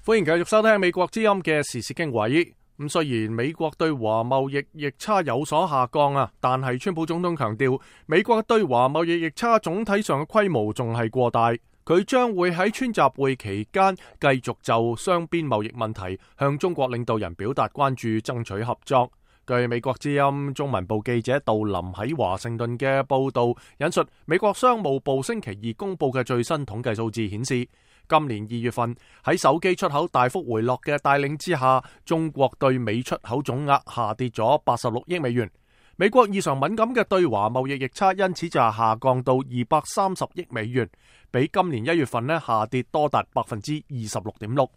歡迎繼續收聽美國之音嘅時事經緯。雖然美國對華貿易逆差有所下降但係川普總統強調，美國對華貿易逆差總體上嘅規模仲係過大。佢將會喺川習會期間繼續就雙邊貿易問題向中國領導人表達關注，爭取合作。據美國之音中文部記者杜林喺華盛頓嘅報道，引述美國商務部星期二公布嘅最新統計數字顯示，今年2月份喺手機出口大幅回落嘅帶領之下，中國對美出口總額下跌咗86億美元。美國異常敏感嘅對華貿易逆差因此就下降到230億美元，比今年1月份下跌多達 26.6%。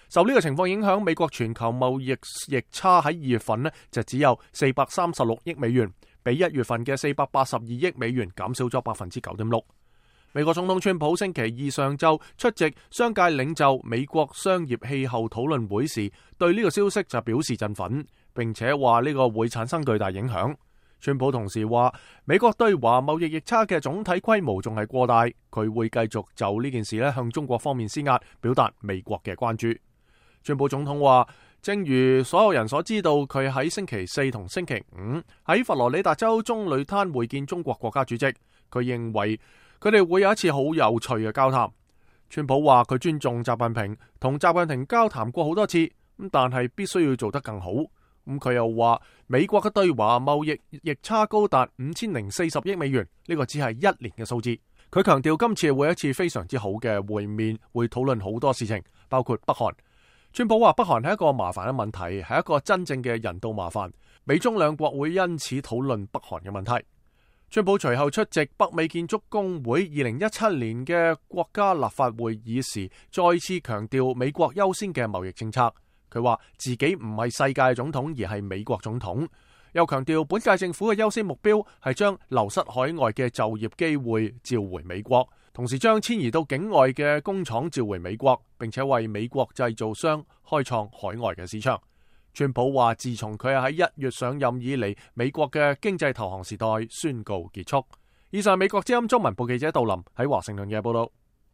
受呢個情況影響，美國全球貿易逆差喺2月份就只有436億美元，比1月份嘅482億美元減少咗 9.6%。美國總統川普星期二上晝出席商界領袖美國商業氣候討論會時，對呢個消息就表示振奮，並且話呢個會產生巨大影響。川普同時話，美國對華貿易逆差嘅總體規模仲係過大，佢會繼續就呢件事向中國方面施壓，表達美國嘅關注。川普總統話，正如所有人所知道，佢喺星期四同星期五喺佛羅里達州棕櫚灘會見中國國家主席，佢認為佢哋會有一次好有趣嘅交談。川普話佢尊重習近平，同習近平交談過好多次，但係必須要做得更好。佢又話美國嘅對華貿易逆差高達5040億美元，呢個只係1年嘅數字。佢強調今次會有一次非常之好嘅會面，會討論好多事情，包括北韓。川普話北韓係一個麻煩嘅問題，係一個真正嘅人道麻煩，美中兩國會因此討論北韓嘅問題。川普隨後出席北美建築工會2017年嘅國家立法會議時，再次強調美國優先嘅貿易政策。佢話自己唔係世界總統，而係美國總統，又強調本屆政府嘅優先目標係將流失海外嘅就業機會召回美國，同時將遷移到境外嘅工廠召回美國，並且為美國製造商開創海外嘅市場。川普話自從佢喺1月上任以嚟，美國嘅經濟投降時代宣告結束。以上係美國之音中文部記者杜林喺華盛頓嘅報道。